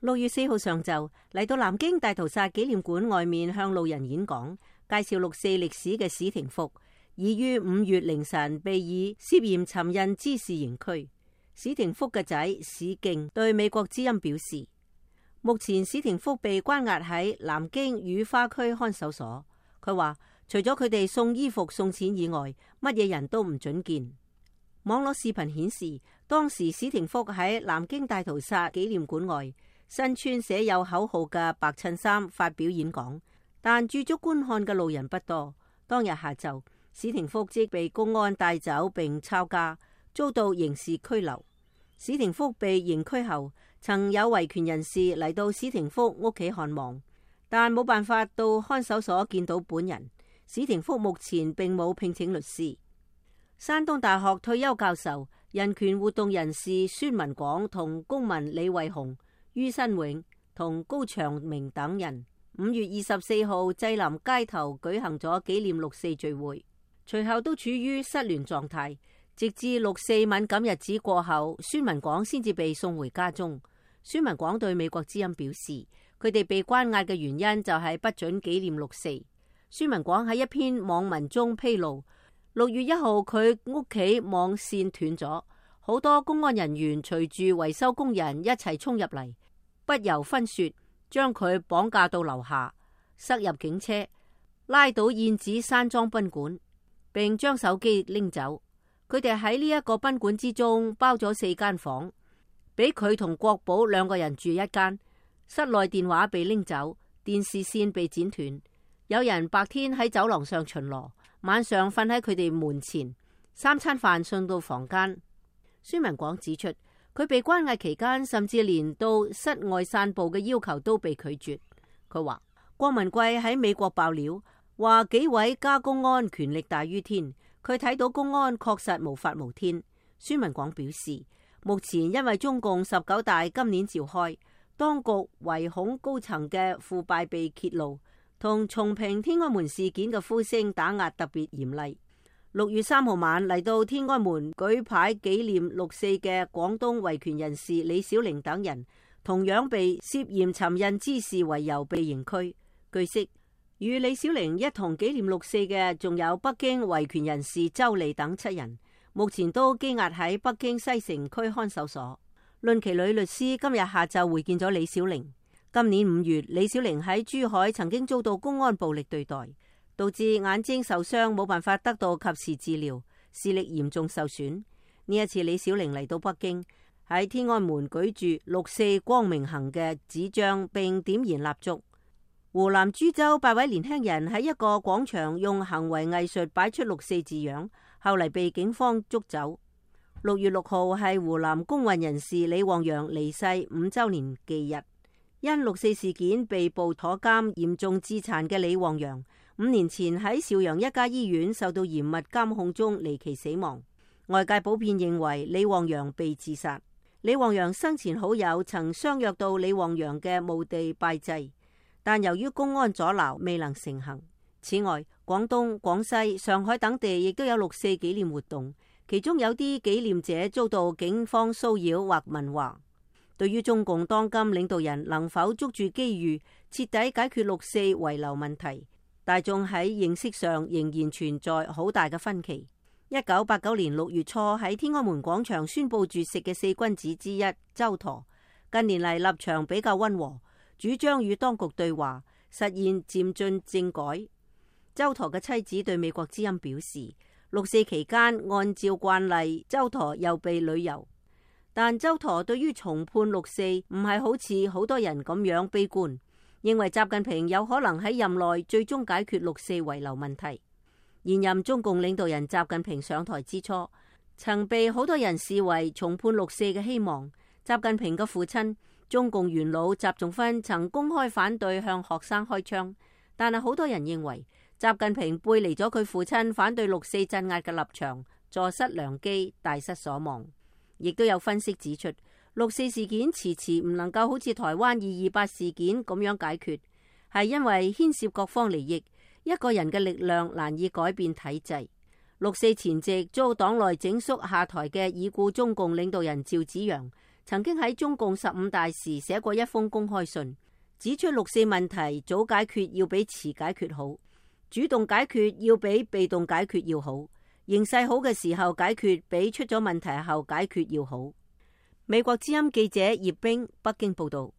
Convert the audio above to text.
6月4號上晝嚟到南京大屠殺紀念館外面向路人演講，介紹6·4歷史嘅史廷福，已於5月凌晨被以涉嫌尋釁滋事刑拘。史廷福嘅仔史敬對美國之音表示，目前史廷福被關押喺南京雨花區看守所。佢話除咗佢哋送衣服送錢以外，乜嘢人都唔准見。網絡視頻顯示，當時史廷福喺南京大屠殺紀念館外，身穿寫有口號嘅白襯衫發表演講，但駐足觀看嘅路人不多。當日下晝，史廷福即被公安帶走並抄家，遭到刑事拘留。史廷福被刑拘後，曾有維權人士嚟到史廷福屋企看望，但冇辦法到看守所見到本人。史廷福目前並冇聘請律師。山東大學退休教授、人權活動人士孫文廣同公民李惠雄、于新永同高長明等人5月24號濟南街頭舉行咗紀念6·4聚會，隨後都處於失聯狀態，直至6·4敏感日子過後，孫文廣先至被送回家中。孫文廣對美國之音表示，佢哋被關押嘅原因就係不准紀念6·4。孫文廣喺一篇網文中披露，6月1號佢屋企網線斷咗，好多公安人員隨住維修工人一齊衝入嚟，不由分說將佢綁架到樓下，塞入警車，拉到燕子山莊賓館，並將手機拎走。佢哋喺呢一個賓館之中包咗4間房，俾佢同國寶2個人住一間。室內電話被拎走，電視線被剪斷。有人白天喺走廊上巡邏，晚上瞓喺佢哋門前，3餐飯送到房間。孫文廣指出，佢被關押期間，甚至連到室外散步嘅要求都被拒絕。佢話郭文貴喺美國爆料，話紀委加公安權力大於天，佢睇到公安確實無法無天。孫文廣表示，目前因為中共19大今年召開，當局唯恐高層嘅腐敗被揭露，同重評天安門事件嘅呼聲打壓特別嚴厲。6月3號晚嚟到天安門舉牌紀念6·4嘅廣東維權人士李小玲等人，同樣被涉嫌尋釁滋事為由被刑拘。據悉，與李小玲一同紀念6·4嘅仲有北京維權人士周莉等7人，目前都羈押喺北京西城區看守所。論其女律師今日下晝會見咗李小玲。今年5月，李小玲喺珠海曾經遭到公安暴力對待，導致眼睛受傷，冇辦法得到及時治療，視力嚴重受損。呢一次李小玲嚟到北京，喺天安門舉住6·4光明行嘅紙張並點燃蠟燭。湖南株洲8位年輕人喺一個廣場用行為藝術擺出6·4字樣，後嚟被警方捉走。6月6號係湖南工運人士李旺陽離世5週年忌日。因6·4事件被捕坐監嚴重致殘嘅李旺陽，5年前喺邵陽一家醫院受到嚴密監控中離奇死亡。外界普遍認為李旺陽被自殺。李旺陽生前好友曾相約到李旺陽嘅墓地拜祭，但由於公安阻撓，未能成行。此外，廣東、廣西、上海等地亦都有6·4紀念活動，其中有啲紀念者遭到警方騷擾或問話。對於中共當今領導人能否捉住機遇，徹底解決6·4遺留問題，大眾喺認識上仍然存在好大嘅分歧。1989年6月初喺天安門廣場宣布絕食嘅4君子之一周舵，近年嚟立場比較溫和，主張與當局對話，實現漸進政改。周舵嘅妻子對美國之音表示，6·4期間按照慣例，周舵又被旅遊。但周舵對於重判6·4唔係好似好多人咁樣悲觀，認為習近平有可能喺任內最終解決6·4遺留問題。現任中共領導人習近平上台之初，曾被好多人視為重判6·4嘅希望。習近平嘅父親中共元老習仲勳曾公開反對向學生開槍，但係好多人認為習近平背離咗佢父親反對6·4鎮壓嘅立場，坐失良機，大失所望。亦都有分析指出，6·4事件遲遲唔能夠好似台灣228事件咁樣解決，係因為牽涉各方利益，一個人嘅力量難以改變體制。6·4前夕遭黨內整肅下台嘅已故中共領導人趙紫陽，曾經喺中共15大時寫過一封公開信，指出六四問題早解決要比遲解決好，主動解決要比被動解決要好，形勢好嘅時候解決比出咗問題後解決要好。美國之音記者葉冰北京報道。